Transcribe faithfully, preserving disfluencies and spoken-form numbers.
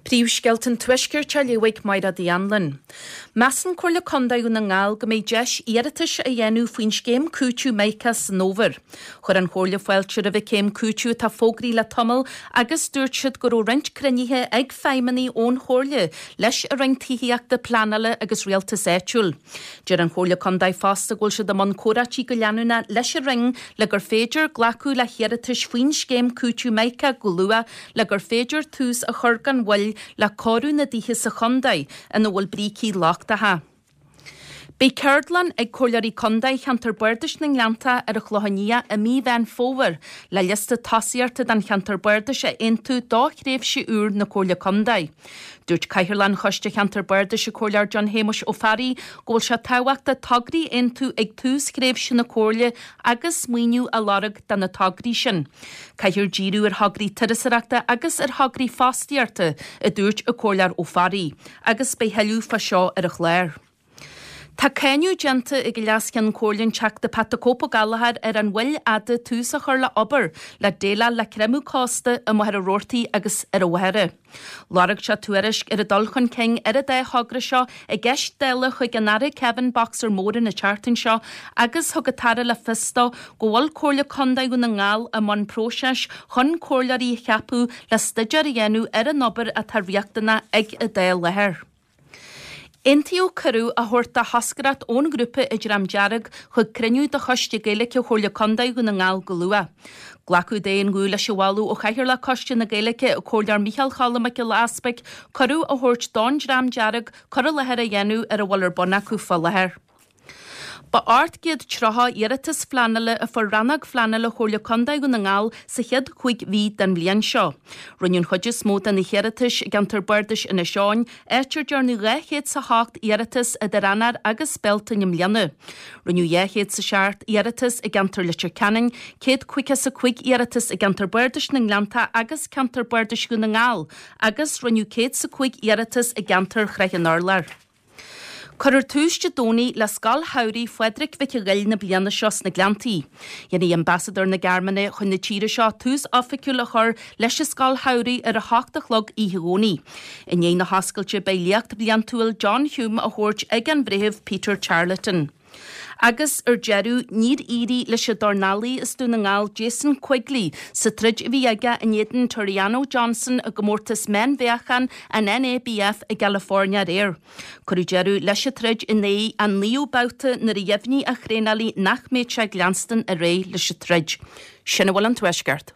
Príomhscéalta an Tuaiscirt á léamh ag Máire Anlin. Measann Comhairle Contae Dhún na nGall go mbeidh deis iarratais a dhéanamh faoin scéim cúiteamh Mica san fhómhar. Chuir an Chomhairle fáilte roimh an chéim cúiteamh atá fógraithe le tamall agus dúirt siad go raibh roinnt cruinnithe ag feidhmeannaigh ón Chomhairle leis an Roinn Tithíochta Pleanála agus Rialtais Áitiúil. Deir an Chomhairle Contae fosta go bhfuil siad i mbun comhráití go leanúnach leis an Roinn le gur féidir glacadh le hiarratais faoin scéim cúiteamh Mica go luath le gur féidir tús a chur gan mhoill le cóiriú na dtithe sa chontae ina bhfuil brící lochtacha. Beidh ceardlann ag Comhairleoirí Contae Cheantar Bardais na nGleannta ar an Chlochán Liath i mí Mheán Fómhair le liosta tosaíochta don Cheantar Bardais a aontú do thréimhse úr na Comhairle Contae. Dúirt Cathaoirleach an Choiste Cheantar Bardais an Comhairleoir John Shéamuis Ó Fearraigh go bhfuil sé tábhachtach tograí a aontú ag tús thréimhse na Comhairle agus maoiniú a lorg do na tograí sin. Caithfear díriú ar thograí turasóireachta agus ar thograí fostaíochta, a dúirt an Comhairleoir Ó Fearraigh, agus beidh thuilleadh fá seo ar an chlár. Tá cáineadh déanta ag an Leas-Cheann Comhairle an Teachta Pat the Cope Ó Gallchóir ar an mhoill fhada tús a chur le obair le déileáil le creimeadh cósta i Machaire Rabhartaigh agus ar an Mhachaire. Lorg sé tuairisc ar an dul chun cinn ar an dá thogra seo i gceist Dála chuig an Aire Kevin Boxer Moran an tseachtain seo agus thug an tAire le fios dó go bhfuil Comhairle Contae Dhún na nGall i mbun próiseas chun comhairleoirí a cheapadh le staidéar a dhéanamh ar an obair atá riachtanach ag an dá láthair. Aontaíodh cuireadh a thabhairt do thoscaireacht ón ghrúpa An Dream Dearg chuig cruinniú de Choiste Gaeilge Chomhairle Contae Dhún na nGall go luath. Glacadh d'aon ghuth leis an mholadh ó Chathaoirleach Choiste na Gaeilge, an Comhairleoir Micheál Choilm Mac Giolla Easpaig, cuireadh a thabhairt don Dream Dearg cur i láthair a dhéanamh ar a bhfuil ar bun acu fá láthair. Ba ocht gcéad tríocha iarratas phleanála a fuair Rannóg Phleanála Chomhairle Contae Dhún na nGall sa chéad chúig mhí den bhliain seo. Rinneadh an chuid is mó de na hiarratais i gceantar Bardais Inis Eoghain, áit ar dearnadh dhá chéad is a hocht iarratas idir Eanáir agus Bealtaine i mbliana. Rinneadh dhá chéad is a seacht iarratas i gceantar Leitir Ceanainn, céad caoga is a cúig iarratas i gceantar Bardais na nGleannta agus ceantar Bardais Dhún na nGall, agus rinneadh céad is a cúig iarratas i gceantar Shraith an Urláir. Cuirfear tús Dé Domhnaigh le Scoil Shamhraidh Phádraig Mhic an Ghoill na bliana seo sna Gleanntaí. Dhéanfaidh Ambasadóir na Gearmáine chun na tíre seo tús oifigiúil a chur leis an Scoil Shamhraidh ar a hocht a chlog oíche Dhomhnaigh. I ndiaidh na hoscailte beidh léacht bhliantúil John Hume á thabhairt ag an Bhreitheamh Peter Charleton. Agus ar deireadh, níor éirigh leis an dornálaí as Dún na nGall Jason Quigley sa troid a bhí aige in éadan Tureano Johnson i gcomórtas meánmheáchan an NABF i gCalifornia aréir. Cuireadh deireadh leis an troid i ndiaidh an naoú babhta nuair a dheimhnigh a thraenálaí nach mbeadh sé ag leanstan ar aghaidh leis an troid. Sin a bhfuil ón Tuaisceart.